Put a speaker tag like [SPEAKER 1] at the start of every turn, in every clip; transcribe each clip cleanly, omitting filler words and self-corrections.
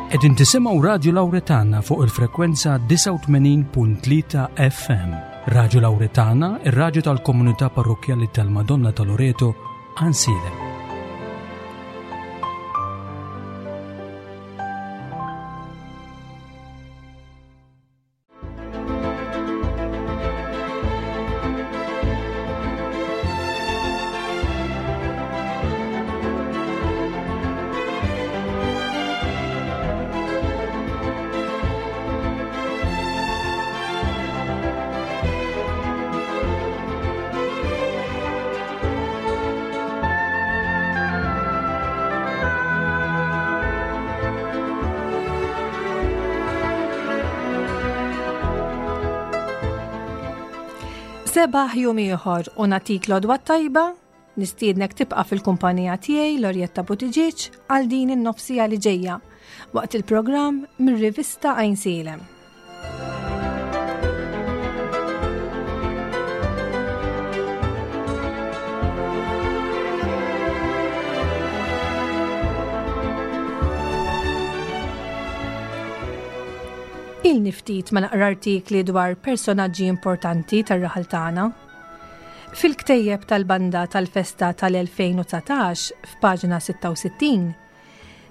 [SPEAKER 1] Qegħdin tisimgħu Radju Lawretana fuq il-frekwenza 89.3 FM. Radju Lawretana, ir-radju tal-komunità parrokkjali tal-Madonna ta' Loreto, Għansielem.
[SPEAKER 2] Sebaħ jum ieħor u natik l-odwa tajba, nistiednek tibqa' fil-kumpanija tiegħi Lorjetta Buttigieg għal din in-nofsija li ġejja waqt il-programm mir-rivista Għajnsielem. Ilni ftit ma naqra artikli dwar personaġġi importanti tar-raħal tagħna. Fil-ktejjeb tal-banda tal-festa tal-2019 f'paġna 66,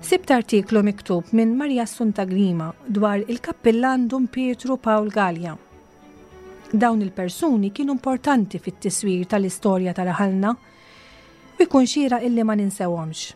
[SPEAKER 2] Sibt artiklu miktub minn Maria Assunta Grima dwar il-Kappillan Dun Pietru Pawl Galea. Dawn il-persuni kienu importanti fit-tiswir tal-istorja ta' raħalna u jkun xieraq illi ma ninsewhomx.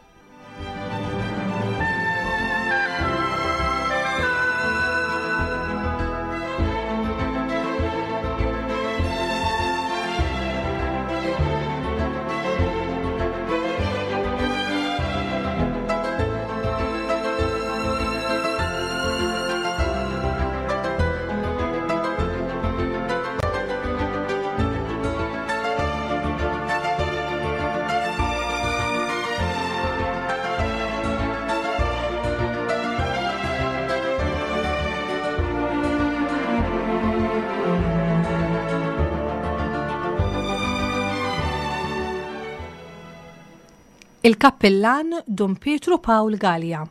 [SPEAKER 2] Il-Kappillan Dun Pietru Pawl Galea.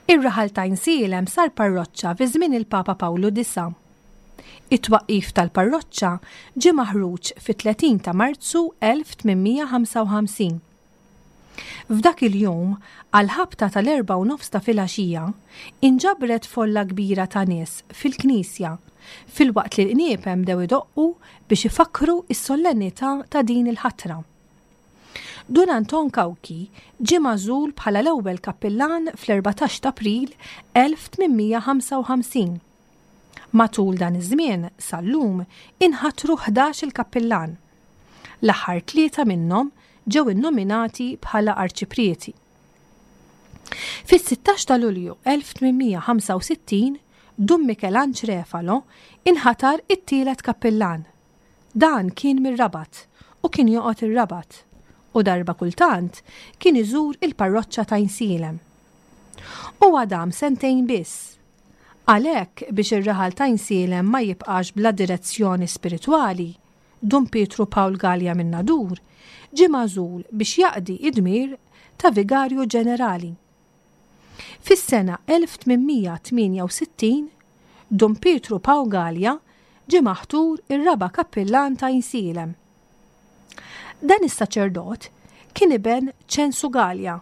[SPEAKER 2] Ir-raħal ta' Għajnsielem sar parroċċa fi żmien il-Papa Pawlu Disa'. It-twaqqif tal-parroċċa ġie maħruġ fit-30 ta' Marzu 1855. F'dak il-jum, għall-ħabta tal-erbgħa u nofs ta' filgħaxija, inġabret folla kbira ta' nies fil-knisja, filwaqt li l-qniepen bdew idoqqu biex ifakkru s-sollennità ta' din il-ħatra. Dun Anton Cauchi ġie magħżul bħala l-ewwel kappillan fl-14 t'April 1855. Matul dan iż-żmien, sal-lum, inħatru ħdax-il kappillan. L-aħħar tlieta minnhom ġew innominati bħala arċiprieti. Fis-16 ta' Lulju 1865, Dun Mikelanġ Refalo inħatar it-tielet kappillan. Dan kien mir-Rabat u kien joqgħod ir-Rabat u darba kultant kien iżur il-parroċċa t'Għajnsielem. Huwa dam sentejn biss. Għalhekk biex ir-raħal t'Għajnsielem ma jibqax bla direzzjoni spiritwali, Dun Pietru Pawl Galea min-Nadur ġie magħżul biex jaqdi d-dmir ta' Vigarju Ġenerali. Fis-sena 1868, Dun Pietru Pawl Galea ġie maħtur ir-raba' kappillan ta' Għajnsielem. Dan is-saċerdot kien iben Ċensu Galea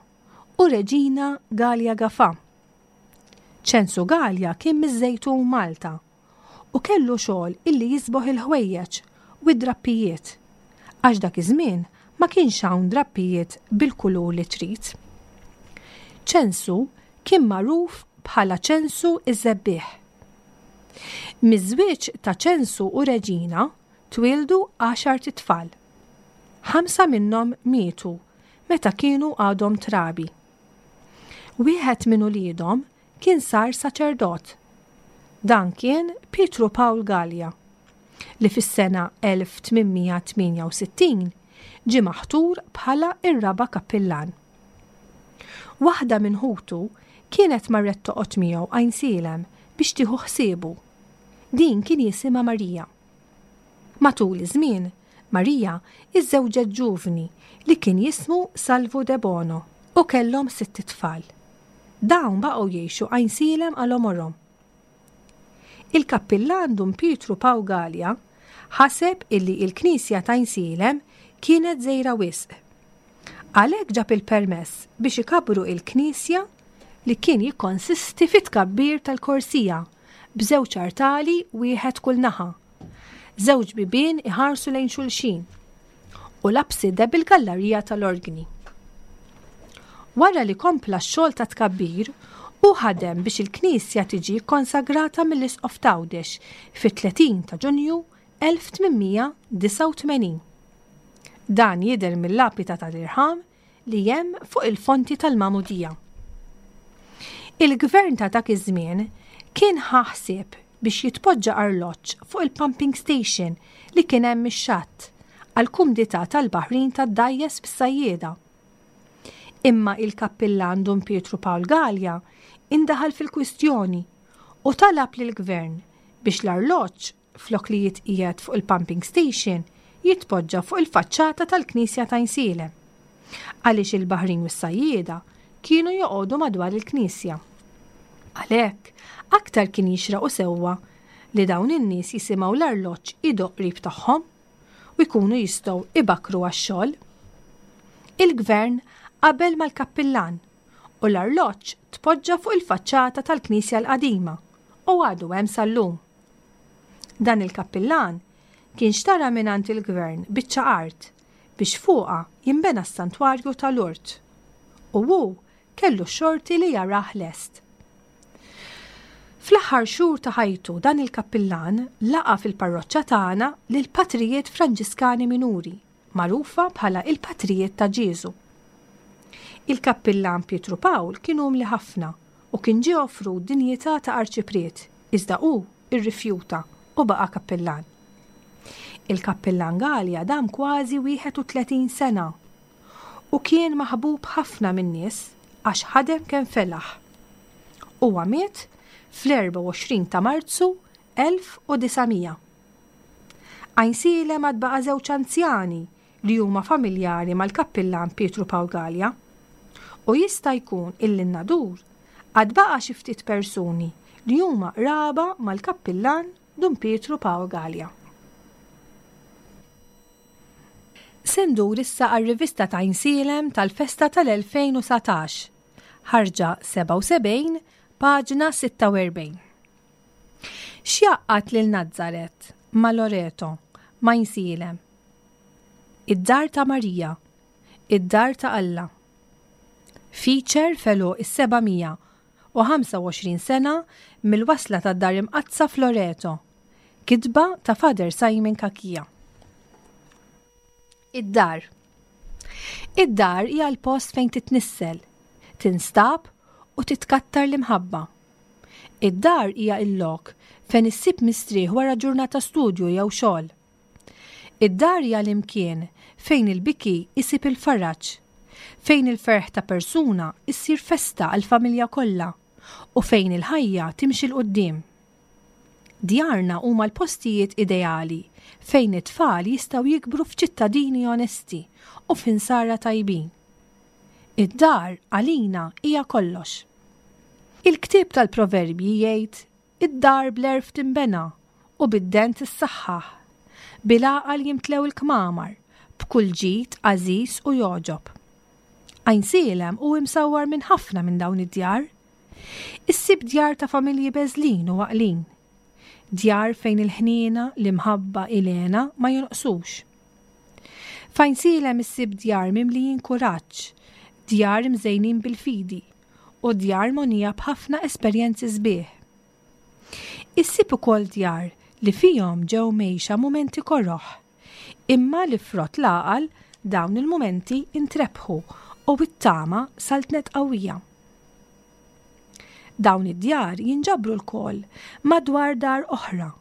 [SPEAKER 2] u Reġina Galea Gafà. Ċensu Galea kien miż-Żejtun Malta u kellu xogħol illi jiżboħ il-ħwejjeġ u d-drappijiet, għax dak iż-żmien ma kienx hawn drappijiet bil-kulur li trid. Ċensu kien magħruf bħala Ċensu ż-Żebbiegħ. Miż-żwieġ ta' Ċensu u Reġina twieldu għaxart itfal. Ħamsa minnhom mietu meta kienu għadhom trabi. Wieħed minn uliedhom kien sar saċerdot. Dan kien Pietru Pawl Galea, li fis-sena 1868 ġie maħtur bħala r-raba' kappillan. Waħda minn ħutu kienet marret toqgħod miegħu Għajnsielem biex tieħu ħsiebu. Din kien jisimha Marija. Matul iż-żmien, Marija iżżewġet ġuvni li kien jismu Salvu Debono u kellhom sitt itfal. Dawn baqgħu jgħixu Għajnsielem għal għomorhom. Il-kappillan Dun Pietru Paw Galea ħaseb illi il-knisja t'Għajnsielem kienet żgħira wisq. Għalhekk ġab il-permess biex ikabbru il-knisja li kien jikkonsisti fi tkabbir tal-korsija b'żewġ artali wieħed kull naħa, żewġ bibien iħarsu lejn xulxin u l-apside bil-gallarija tal-orgni. Wara li kompla x-xogħol ta' tkabbir, hu ħadem biex il-knisja tiġi kkonsagrata mill-Isqof t'Għawdex fit-30 ta' Ġunju 1889. Dan jidher mill-lapida tal-irħam li hemm fuq il-fonti tal-magħmudija. Il-gvern ta' dak iż-żmien kien ħa ħsieb biex jitpoġġa arloġġ fuq il-pumping station li kien hemm ix-xatt għall-kumdità tal-baħrin tad-dgħajjes bis-sajjieda. Imma il-kappillan Dun Pietru Pawl Galea indaħal fil-kwistjoni u talab lill-gvern biex l-arloġġ flok li jitqiegħed fuq il-pumping station, jitpoġġa fuq il-faċċata tal-knisja t'Għajnsielem. Għaliex il-baħrin u s-sajjieda kienu joqogħdu madwar il-knisja. Għalhekk, aktar kien jixraq u sewwa li dawn in-nies jisimgħu l-arloġġ idoqq qrib tagħhom u jkunu jistgħu ibakkru għax-xogħol. Il-gvern qabel mal-kappillan u l-arloġġ tpoġġa fuq il-faċċata tal-knisja l-qadima u għadu hemm sal-lum. Dan il-kappillan kien xtara mingħand il-gvern biċċa art biex fuqha jinbena s-santwarju ta' Lourdes u hu kellu x-xorti li jarah lest. Fl-aħħar xhur ta' ħajtu dan il-kappillan laqa' fil-parroċċa tagħna lill-patrijiet Franġiskani Minuri, magħrufa bħala il-Patrijiet ta' Ġieżu. Il-kappillan Pietru Pawl kien umli ħafna u kien ġie offrut dinjità ta' arċipriet, iżda hu rrifjuta u baqa' kappillan. Il-kappillan Galea dam kważi 31 sena u kien maħbub ħafna min-nies għax ħadem kemm felaħ. Huwa miet fl-24 ta' Marzu 1900. Għajnsielem għad baqa' żewġ anzjani li huma familjari mal-Kappillan Pietru Pawl Galea. U jista' jkun illi n-Nadur għad baqa' xi ftit persuni li huma qraba mal-Kappillan Dun Pietru Pawl Galea. Se ndur issa għar-rivista t'Għajnsielem tal-festa tal-2019, ħarġa 77, paġna 46. X'jgħaqqad lil Nazaret ma' Loreto, ma' Għajnsielem? Id-Dar ta' Marija, id-Dar ta' Alla. Feature f'għeluq is-725 sena mill-wasla tad-Dar Imqaddsa f'Loreto. Kitba ta' Father Simon Cachia. Id-dar. Id-dar hija l-post fejn titnissel, tinstab u titkattar l-imħabba. Id-dar hija l-lok fejn issib mistrieħ wara ġurnata studju jew xogħol. Id-dar hija l-imkien fejn il-biki jsib il-faraġ, fejn il-ferħ ta' persuna ssir festa għall-familja kollha u fejn il-ħajja timxi 'l quddiem. Djarna huma l-postijiet ideali fejn it-tfal jistgħu jikbru f'ċittadini onesti u f'insara tajbin. Id-dar għalina hija kollox. Il-ktieb tal-Proverbji jgħid, Id-dar bl-għerf tinbena u bid-dent tissaħħaħ. Bil-għaqal jimtlew il-kmamar, b'kull ġid għażiż u jogħġob. Għajnsielem hu imsawwar minn ħafna minn dawn id-djar. Issib djar ta' familji beżlin u għaqlin. Djar fejn il-ħniena, l-imħabba, il-hena ma jonqsux. F'Għajnsielem issib djar mimlijin kuraġġ, djar imżejnin bil-fidi, u djar mogħnija b'ħafna esperjenzi sbieħ. Issib ukoll djar li fihom ġew mgħejxa mumenti koroh, imma li frott l-għaqal dawn il-mumenti ntrebħu u t-tama saltnet qawwija. Dawn id-djar jinġabru lkoll madwar dar oħra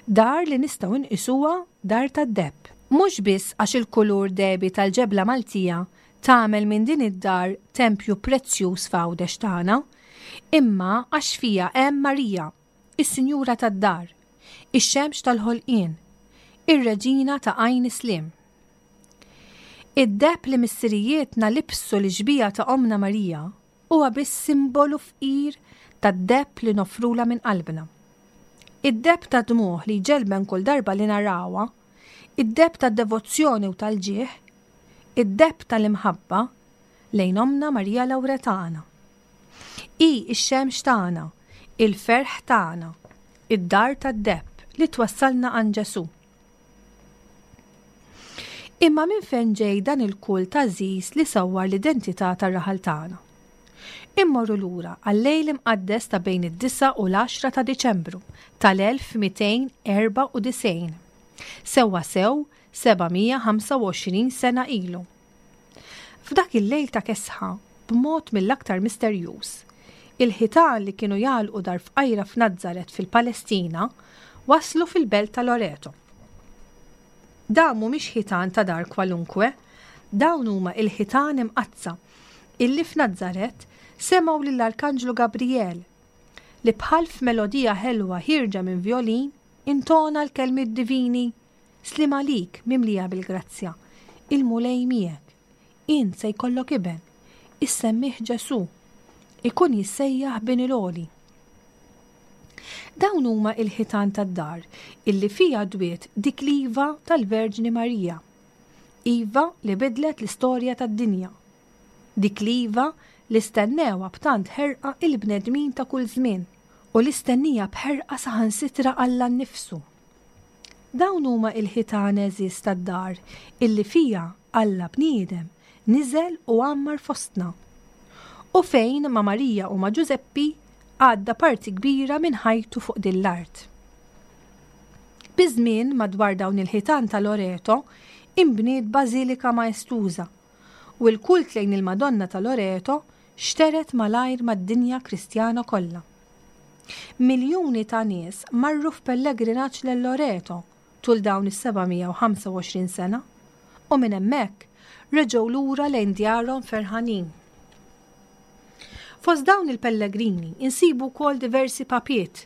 [SPEAKER 2] Dar li nistgħu nqisuha dar tad-deheb. Mhux biss għax il-kulur dehbi tal-ġebla Maltija tagħmel minn din id-dar tempju prezzjuż f'Għawdex tagħna, imma għax fiha hemm Marija, is-Sinjura tad-dar, ix-xemx tal-ħolqien, ir-Reġina ta' Għajn is-Sliem. Id-deheb li missirijietna libsu lix-xbieha ta' Ommna Marija. huwa biss simbolu fqir tad-deheb li noffrulha minn qalbna. Id-deheb tad-dmugħ li jġelben kull darba li narawha, id-deheb tad-devozzjoni u tal-ġieħ, id-deheb tal-imħabba lejn Ommna Marija Lawretana. Hi x-xemx tagħna, il-ferħ tagħna, id-dar tad-deheb li twassalna għand Ġesù. Imma minn fejn ġej dan il-kult għażiż li sawwar l-identità tar-raħal tagħna? Immorru lura għal-lejl imqaddes ta' bejn id-disgħa u l-għaxra ta' Diċembru tal-1294, sewwasew 725 sena ilu. F'dak il-lejl ta' kesħa, b'mod mill-aktar misterjuż, il-ħitan li kienu jagħlqu dar fqajra f'Nazaret fil-Palestina waslu fil-belt ta' Loreto. Dawn mhumiex ħitan ta' dar kwalunkwe, dawn huma il-ħitan imqaddsa illi f'Nazaret semgħu lill-Arkanġlu Gabrijel li bħal f'melodija ħelwa ħierġa minn vjolin intona l-kelmiet divini, Sliem għalik mimlija bil-grazzja, il-Mulej miegħek. Int se jkollok iben, issemmih Ġesù. Ikun jissejjaħ Bin il-Għoli. Dawn huma il-ħitan tad-dar illi fiha dwiet dik l-iva tal-Verġni Marija. Iva li bidlet l-istorja tad-dinja. Dik l-iva li stennewha b'tant ħerqa il-bnedmin ta' kull żmien u li stennija b'ħerqa saħansitra Alla nnifsu. Dawn huma il-ħitan għeżież tad-dar illi fiha Alla bniedem niżel u għammar fostna. U fejn ma' Marija u ma' Ġużeppi għadda parti kbira minn ħajtu fuq din l-art. Biż-żmien madwar dawn il-ħitan ta' Loreto inbniet bażilika maestuża u l-kult lejn il-Madonna ta' Loreto xtered malajr mad-dinja Kristjana kollha. Miljuni ta' nies marru f'pellegrinaġġ lil Loreto tul dawn is-725 sena u minn hemmhekk reġgħu lura lejn djarhom ferħanin. Fost dawn il-pellegrini insibu wkoll diversi papiet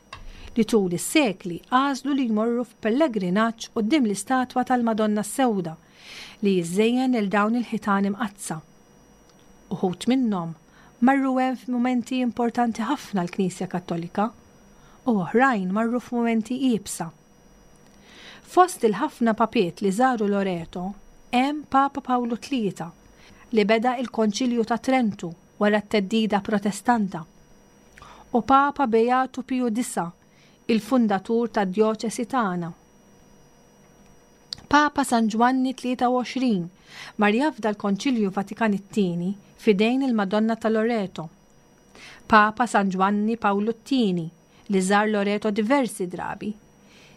[SPEAKER 2] li tul is-sekli għażlu li jmorru f'pellegrinaġġ quddiem l-istatwa tal-Madonna s-Sewda li jiżżejjen lil dawn il-ħitan imqaddsa. Uħud minnhom marru hemm f'mumenti importanti ħafna għall-Knisja Kattolika u oħrajn marru f'mumenti iebsa. Fost il-ħafna papiet li żaru Loreto hemm Papa Pawlu Tlieta li beda il-Konċilju ta' Trentu wara t-theddida Protestanta u Papa Beatu Piju Disa', il-fundatur tad-djoċesi tagħna. Papa San Ġwanni 23 mar jafda l-Konċilju Vatikan it-Tieni f'idejn il-Madonna ta' Loreto. Papa San Ġwanni Pawlu t-Tieni, li żar Loreto diversi drabi,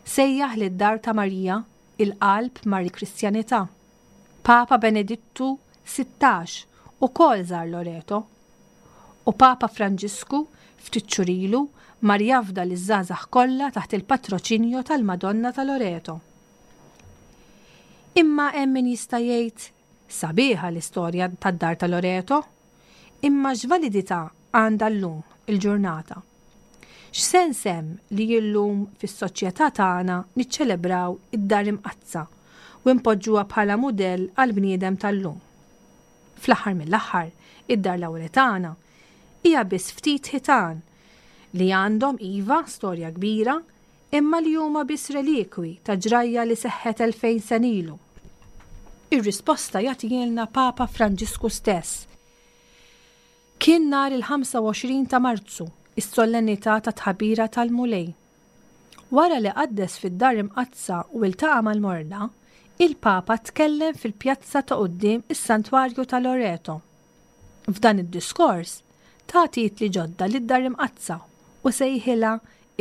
[SPEAKER 2] sejjaħ lid-Dar ta' Marija il-qalb mar-Kristjanità. Papa Benedittu 16 ukoll żar Loreto. U Papa Franġisku, ftit xhur ilu, mar jafda liż-żgħażagħ kollha taħt il-patroċinju tal-Madonna ta' Loreto. Imma hemm min jista' jgħid, sabiħa l-istorja tad-Dar ta' Loreto, imma x'validità għandha llum il-ġurnata? X'sens hemm li llum fis-soċjetà tagħna niċċelebraw id-Dar Imqaddsa u npoġġuha bħala mudell għall-bniedem tal-lum? Fl-aħħar mill-aħħar, id-Dar Lawretana hija biss ftit ħitan li għandhom, iva, storja kbira, imma li huma biss relikwi ta' ġrajja li seħħet 2000 sena ilu. Ir-risposta jagħtihielna Papa Franġisku stess. Kien nhar il-25 ta' Marzu, is-solennità tat-Tħabira tal-Mulej. Wara li qaddes fid-Dar Imqaddsa u ltaqa' mal-morda, il-Papa tkellem fil-pjazza ta' quddiem is-Santwarju ta' Loreto. F'dan id-diskors, ta titli ġodda lid-Dar Imqaddsa u sejħilha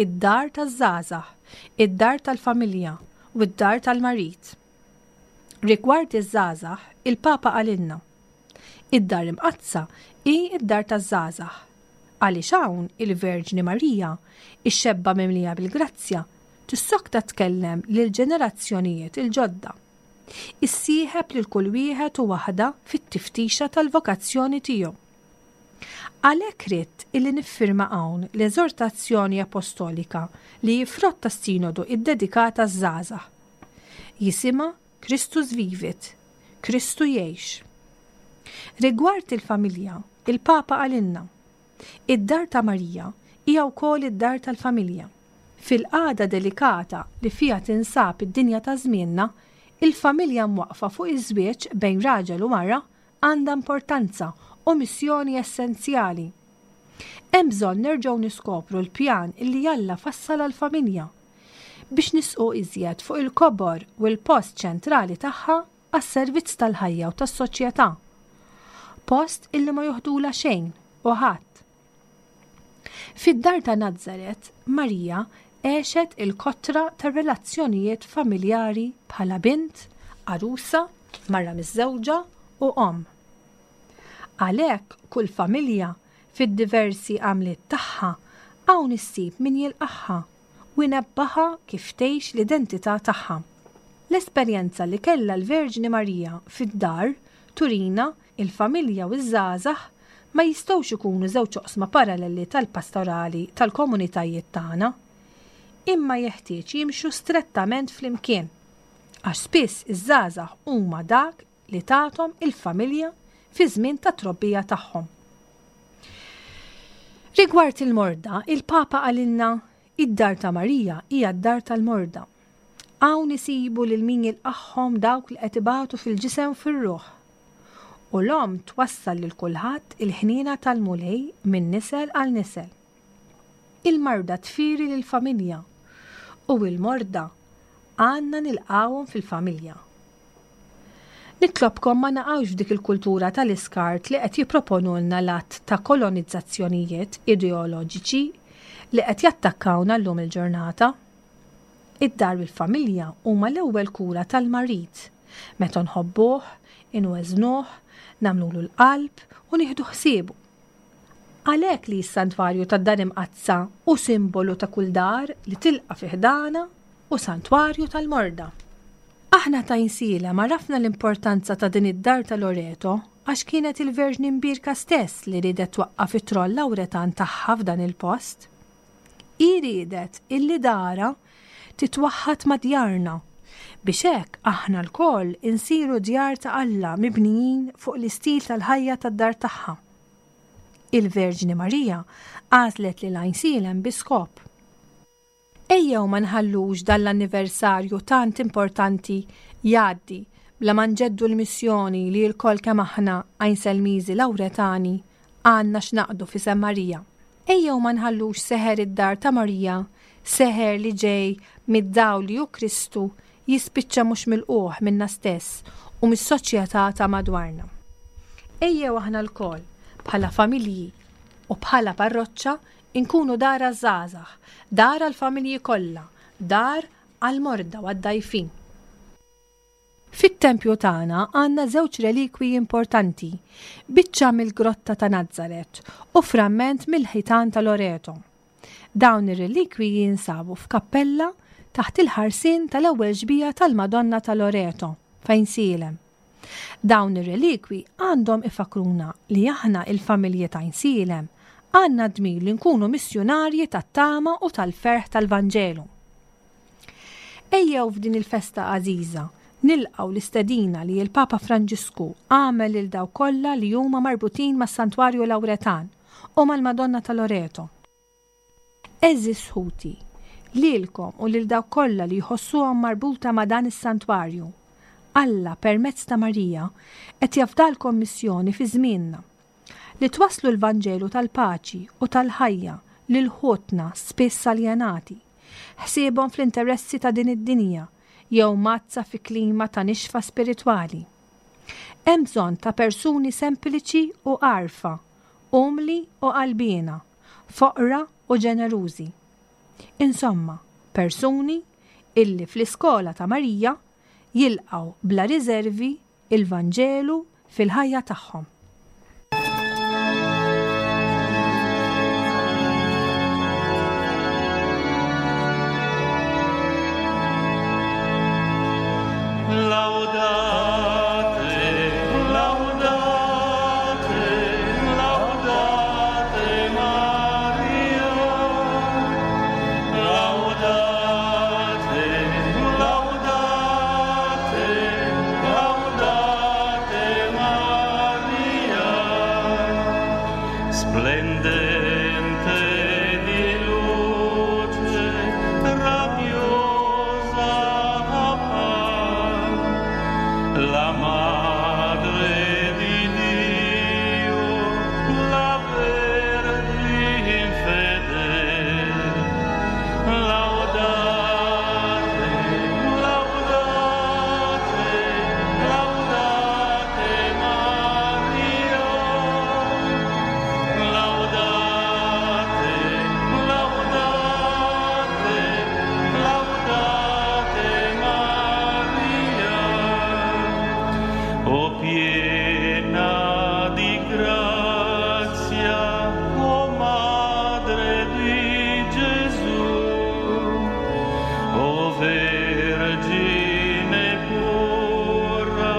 [SPEAKER 2] id-Dar taż-Żgħażagħ, id-Dar tal-Familja u d-Dar tal-Marid. Rigward iż-żgħażagħ, il-Papa qalilna, Id-Dar Imqaddsa hi d-dar taż-żgħażagħ, għaliex hawn il-Verġni Marija, ix-xebba mimlija bil-grazzja, tissokta tkellem lill-ġenerazzjonijiet il-ġodda. Issieħeb lil kull wieħed u waħda fit-tiftixa tal-vokazzjoni tiegħu. Għalhekk ridt illi niffirma hawn l-eżortazzjoni apostolika li hi frott tas-Sinodu ddedikat għaż-żgħażagħ. Jisimha Christus Vivit, Kristu jgħix. Rigward il-familja, il-Papa qalilna, Id-dar ta' Marija hija wkoll id-dar tal-familja. Fil-qagħda delikata li fiha tinsab id-dinja ta' żmienna, il-familja mwaqqfa fuq iż-żwieġ bejn raġel u mara għandha importanza u missjoni essenzjali. Hemm bżonn nerġgħu niskopru l-pjan li Alla fassal għall-familja, biex nisqu iżjed fuq il-kobor u l-post ċentrali tagħha għas-servizz tal-ħajja u tas-soċjetà. Post illi ma joħdulha xejn u ħadd. Fid-dar ta' Nazaret, Marija għexet il-kotra ta' relazzjonijiet familjari bħala bint, għarusa, mara miżżewġa u omm. Għalhekk kull familja, fid-diversi għamliet tagħha, hawn issib min jilqagħha u jnebbaħha kif tgħix l-identità tagħha. L-esperjenza li kellha l-Verġni Marija fid-dar turina il-familja u ż-żgħażagħ ma jistgħux ikunu żewġ oqsma paralleli tal-pastorali tal-komunitajiet tagħna, imma jeħtieġ jimxu strettament flimkien, għax spiss iż-żgħażagħ huma dak li tathom il-familja fiż-żmien tat-trobbija tagħhom. Rigward il-morda, il-Papa qalilna id-dar ta' Marija hija d-dar tal-morda. Hawn isibu lil min jilqagħhom dawk li qed ibatu fil-ġisem u fir-ruħ. U l-omm twassal lil kulħadd il-ħniena tal-Mulej minn nisel għal nisel. Il-marda tfieri lill-familja u l-morda għandna nilqgħuhom fil-familja. Nitlobkom ma naqgħux f'dik il-kultura tal-iskart li qed jipproponulna l-għadd ta' kolonizzazzjonijiet ideoloġiċi li qed jattakkawna llum il-ġurnata. Id-dar u l-familja huma l-ewwel kura tal-marid, meta nħobbuh, inweżnuh, nagħmlulu l-qalb u nieħdu ħsiebu. Għalhekk li s-Santwarju tad-Dar Imqaddsa hu simbolu ta' kull dar li tilqa' fi ħdanha u santwarju tal-morda. Aħna ta' Għajnsielem għarafna l-importanza ta' din id-dar ta' Loreto għax kienet il-Verġni Mbierka stess li riedet twaqqaf it-tron Lawretan tagħha f'dan il-post. Hi riedet illi darha titwaħħad ma' djarna, biex hekk aħna lkoll insiru djar ta' Alla mibnijin fuq l-istil tal-ħajja tad-dar tagħha. Il-Verġni Marija għażlet lil Għajnsielem bi skop. Ejjew ma nħallux dan l-anniversarju tant importanti jgħaddi bla ma nġeddu l-missjoni li lkoll kemm aħna Għajnselmiżi Lawretani għandna x'naqdu f'isem Marija. Ejjew ma nħallux seħer id-dar ta' Marija, seħer li ġej mid-dawl li hu Kristu, jispiċċa mhux milqugħ minna stess u mis-soċjetà ta' madwarna. Ejjew aħna lkoll, bħala familji u bħala parroċċa, inkunu dar għaż-żgħażagħ, dar għall-familji kollha, dar għall-morda u għad-dgħajfin. Fit-tempju tagħna għandna żewġ relikwiji importanti, biċċa mill-grotta ta' Nazaret u framment mill-ħitan ta' Loreto. Dawn ir-relikwiji jinsabu f'kappella taħt il-ħarsien tal-ewwel xbieha tal-Madonna ta' Loreto, f'Għajnsielem. Dawn ir-relikwi għandhom ifakkruna li aħna il-familji t'Għajnsielem għandna d-dmir li nkunu missjunarji tat-tama u tal-ferħ tal-Vanġelu. Ejjew f'din il-festa għażiża nilqgħu l-istedina li l-Papa Franġisku għamel lil dawk kollha li huma marbutin mas-Santwarju Lawretan u mal-Madonna ta' Loreto. Għeżież ħuti, lilkom u lil dawk kollha li jħossuhom marbuta ma' dan is-santwarju, Alla, permezz ta' Marija, qed jafdalkom missjoni fi żmienna, li twasslu l-Vanġelu tal-paċi u tal-ħajja lil ħutna spiss aljenati, ħsiebhom fl-interessi ta' din id-dinja jew mgħaddsa fi klima ta' nixfa spiritwali. Hemm bżonn ta' persuni sempliċi u għarfa, umli u qalbiena, foqra u ġenerużi. Insomma, persuni illi fl-iskola ta' Marija jilqgħu bla riżervi il-Vanġelu fil-ħajja tagħhom.
[SPEAKER 3] Splendente di luce, radiosa appar, la Madre di Dio, la Vergine fedele. Laudate, laudate, laudate Maria. Laudate, laudate, laudate Maria. O piena di grazia, o Madre di Gesù, o Vergine pura,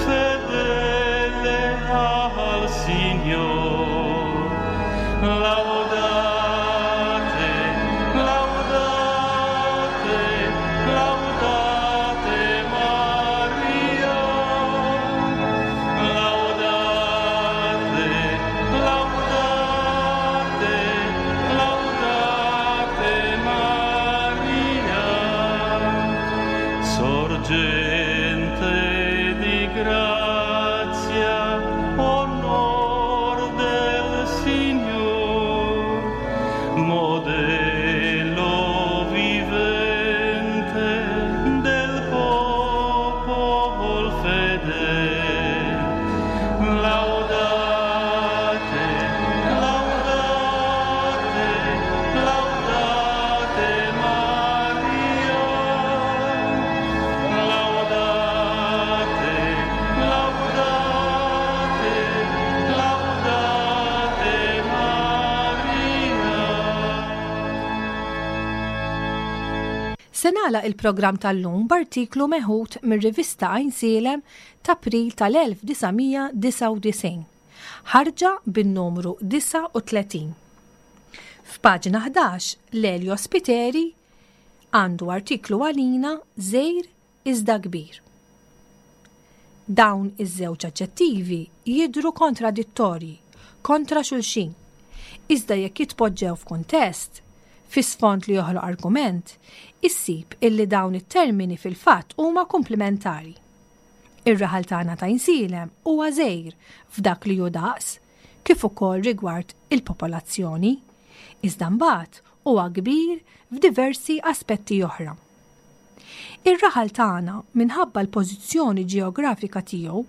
[SPEAKER 3] fedele al Signor. Laudate, laudate, laudate Maria. Laudate, laudate, laudate Maria. Sorgente di grazia, onor del Signor, modello vivente del popol fedele. Laudate, laudate, laudate Maria. Laudate, laudate, laudate Maria.
[SPEAKER 2] Se nagħlaq il-programm tal-lum b'artiklu meħud mir-rivista Għajnsielem t'April tal-1999, ħarġa bin-numru 39. F'paġna 11, Lelio Spiteri għandu artiklu għalina żgħir iżda kbir. Dawn iż-żewġ aġġettivi jidhru kontradittorji, kontra xulxin, iżda jekk jitpoġġew f'kuntest, fi sfond li joħloq argument, issib illi dawn it-termini fil-fatt huma kumplimentari. Ir-raħal tagħna ta' Għajnsielem huwa żgħir f'dak li hu daqs, kif ukoll rigward il-popolazzjoni, iżda mbagħad huwa kbir f'diversi aspetti oħra. Ir-raħal tagħna minħabba l-pożizzjoni ġeografika tiegħu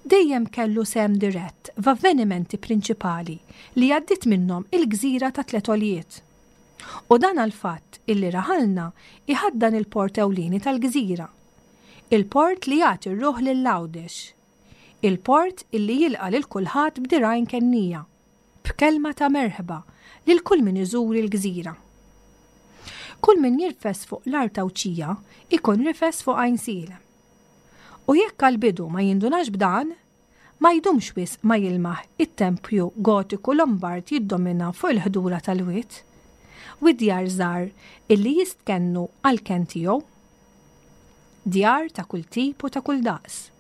[SPEAKER 2] dejjem kellu sehem dirett f'avvenimenti prinċipali li għaddiet minnhom il-gżira ta' Tliet Għoljiet. U dan għall-fatt illi raħalna iħaddan il-port ewlieni tal-gżira. Il-port li jagħti r-ruħ lil Għawdex. Il-port illi jilqa' lil kulħadd b'dirgħajn kennija, b'kelma ta' merħba lil kull min iżur il-gżira. Kull min jirfes fuq l-art Għawdxija ikun rifes fuq Għajnsielem. U jekk għall-bidu ma jindunax b'dan, ma jdumx wisq ma jilmaħ it-tempju gotiku Lombard jiddomina fuq il-ħdura tal-wied, u d-djar żgħar illi jistkennu għall-kenn tiegħu. Djar ta' kull tip u ta' kull daqs.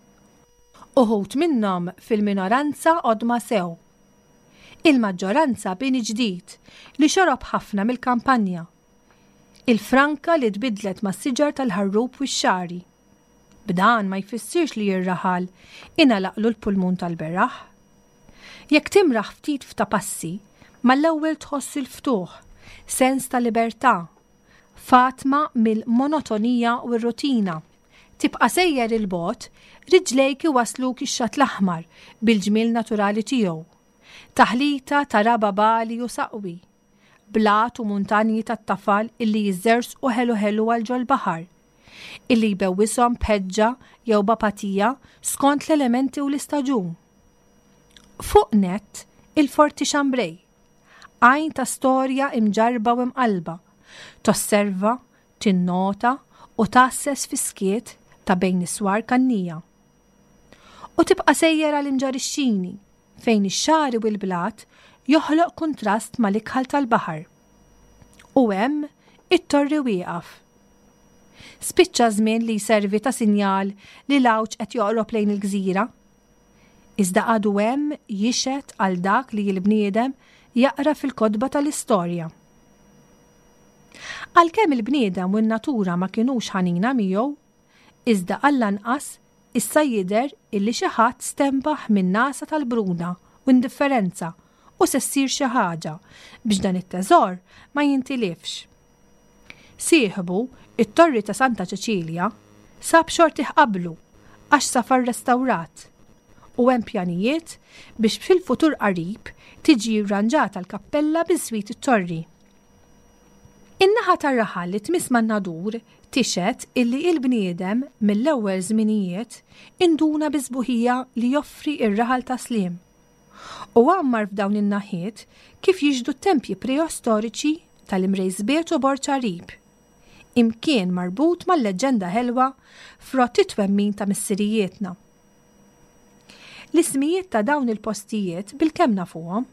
[SPEAKER 2] Uħud minnhom fil-minoranza qodma sew. Il-maġġoranza bini ġdid li xorob ħafna mill-kampanja. Il-franka li tbiddlet mas-siġar tal-ħarrub u x-xagħri. B'dan ma jfissirx li r-raħal ingħalaqlu l-pulmun tal-beraħ. Jekk timraħ ftit f'ta' passi, mal-ewwel tħoss il-ftuħ, sens ta' libertà, fatma mill-monotonija u r-rutina. Tibqa' sejjer 'il bogħod, riġlejk iwassluk ix-Xatt l-Aħmar bil-ġmiel naturali tiegħu. Taħlita ta' raba' bagħli u saqwi. Blat u muntanji tat-tafal illi jiżżerżqu ħelu ħelu għal ġol-baħar. Illi jbewwishom b'ħeġġa jew b'apatija skont l-elementi u l-istaġun. Fuq nett, il-Forti Chambray. Għajn ta' storja imġarrba u imqallba. Tosserva, tinnota u tgħasses fis-skiet ta' bejn is-swar kannija. U tibqa' sejjer għal Imġarr ix-Xini, fejn ix-xagħri u l-blat joħloq kuntrast mal-ikħal tal-baħar. U hemm it-torri wieqaf. Spiċċa żmien li jservi ta' sinjal li l-għawġ qed joqrob lejn il-gżira. Iżda għadu hemm jixhed għal dak li l-bniedem jaqra fil-kotba tal-istorja. Għalkemm il-bniedem u n-natura ma kinux ħanina miegħu, iżda għall-anqas issa jidher illi xi ħadd stenbaħ min-nagħsa tal-bruna u indifferenza u se ssir xi ħaġa biex dan it-teżor ma jintilifx. Sieħbu, it-Torri ta' Santa Ċeċilja, sab xortih qablu għax safa rrestawrat u hemm pjanijiet biex fil-futur qarib tiġi rranġata l-kappella biswit it-torri. In-naħa tar-raħal li tmiss man-Nadur tixhed illi il-bniedem mill-ewwel żminijiet induna bis-sbuħija li joffri r-raħal ta' Sliem u għammar f'dawn in-naħiet kif jixhdu t-tempji preostoriċi tal-Imrejsbiet u Borġ Għarib, imkien marbut mal-leġġenda ħelwa frott it-twemmin ta' missirijietna. L-ismijiet ta' dawn il-postijiet bilkemm nafuhom.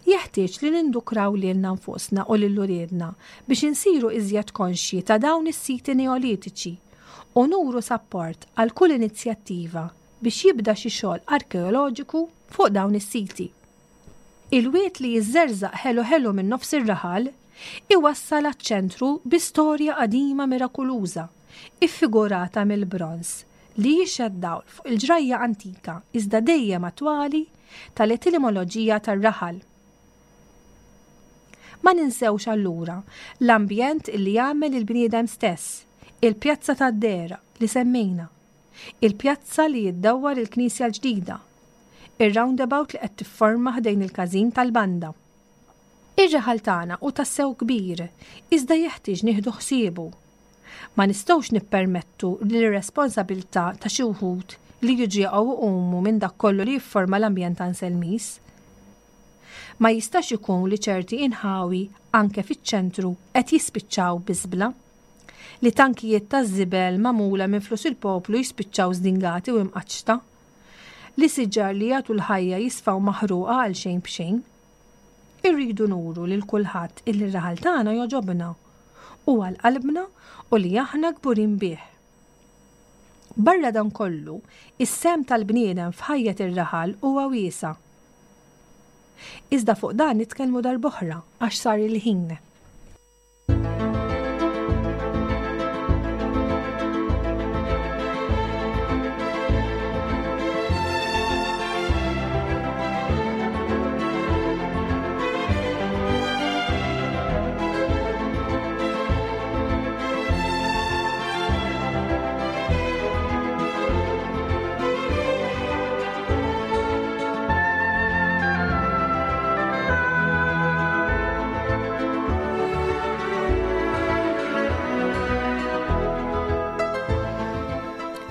[SPEAKER 2] Jeħtieġ li nindukraw lilna nfusna u lil uliedna biex insiru iżjed konxji ta' dawn is-siti Neolitiċi u nuru sapport għal kull inizjattiva biex jibda xi xogħol arkeoloġiku fuq dawn is-siti. Il-wied li jiżżerżaq ħelu ħelu minn nofs ir-raħal iwassal għaċ-ċentru bi storja qadima mirakuluża, iffigurata mill-bronż li jixhed dawl fuq il-ġrajja antika iżda dejjem attwali tal-etimoloġija tar-raħal. Ma ninsewx allura l-ambjent li jagħmel il-bniedem stess, il-pjazza tad-dehra li semmejna, il-pjazza li ddawwar il-knisja l-ġdida, ir-roundabout li qed tifforma ħdejn il-każin tal-banda. Ir-raħal tagħna hu tassew kbir, iżda jeħtieġ nieħdu ħsiebu. Ma nistgħux nippermettu l-irresponsabilità ta' xi wħud li jiġu jaqgħu iqumu minn dak kollu li jifforma l-ambjent Anselmiż. Ma jistax ikun li ċerti inħawi anke fiċ-ċentru qed jispiċċaw biżbla. Li tankijiet taż-żibel magħmula minn flus il-poplu jispiċċaw żdingati u imqaċċta. Li siġar li jagħtu l-ħajja jisfaw maħruqa għal xejn b'xejn. Irridu nuru lil kulħadd illi r-raħal tagħna jogħġobna, hu għal qalbna u li aħna kburin bih. Barra dan kollu, is-sehem tal-bniedem f'ħajjet ir-raħal huwa wiesa'. Iżda fuq dan nitkellmu darb'oħra għax sar il-ħin.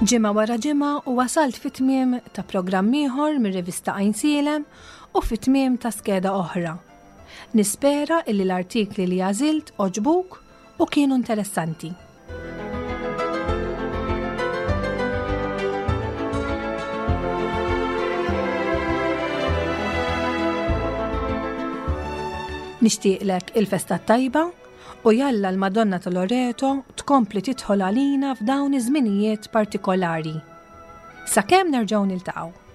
[SPEAKER 2] Ġimgħa wara ġimgħa u wasalt fit-tmiem ta' programm ieħor mir-rivista Għajnsielem u fit-tmiem ta' skeda oħra. Nispera illi l-artikli li għażilt għoġbuk u kienu interessanti. Nixtieqlek il-festa tajba u jalla l-Madonna ta' Loreto tkompli tidħol għalina f'dawn iż-żminijiet partikolari. Sakemm nerġgħu niltaqgħu.